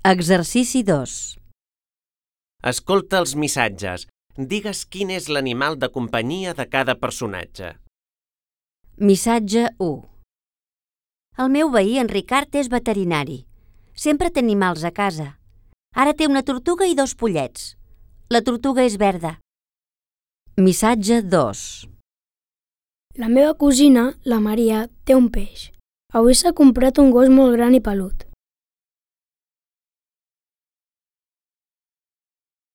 Exercici 2. Escolta els missatges. Digues quin és l'animal de companyia de cada personatge. Missatge 1. El meu veí, en Ricard, és veterinari. Sempre té animals a casa. Ara té una tortuga i 2 pollets. La tortuga és verda. Missatge 2. La meva cosina, la Maria, té un peix. Avui s'ha comprat un gos molt gran i pelut.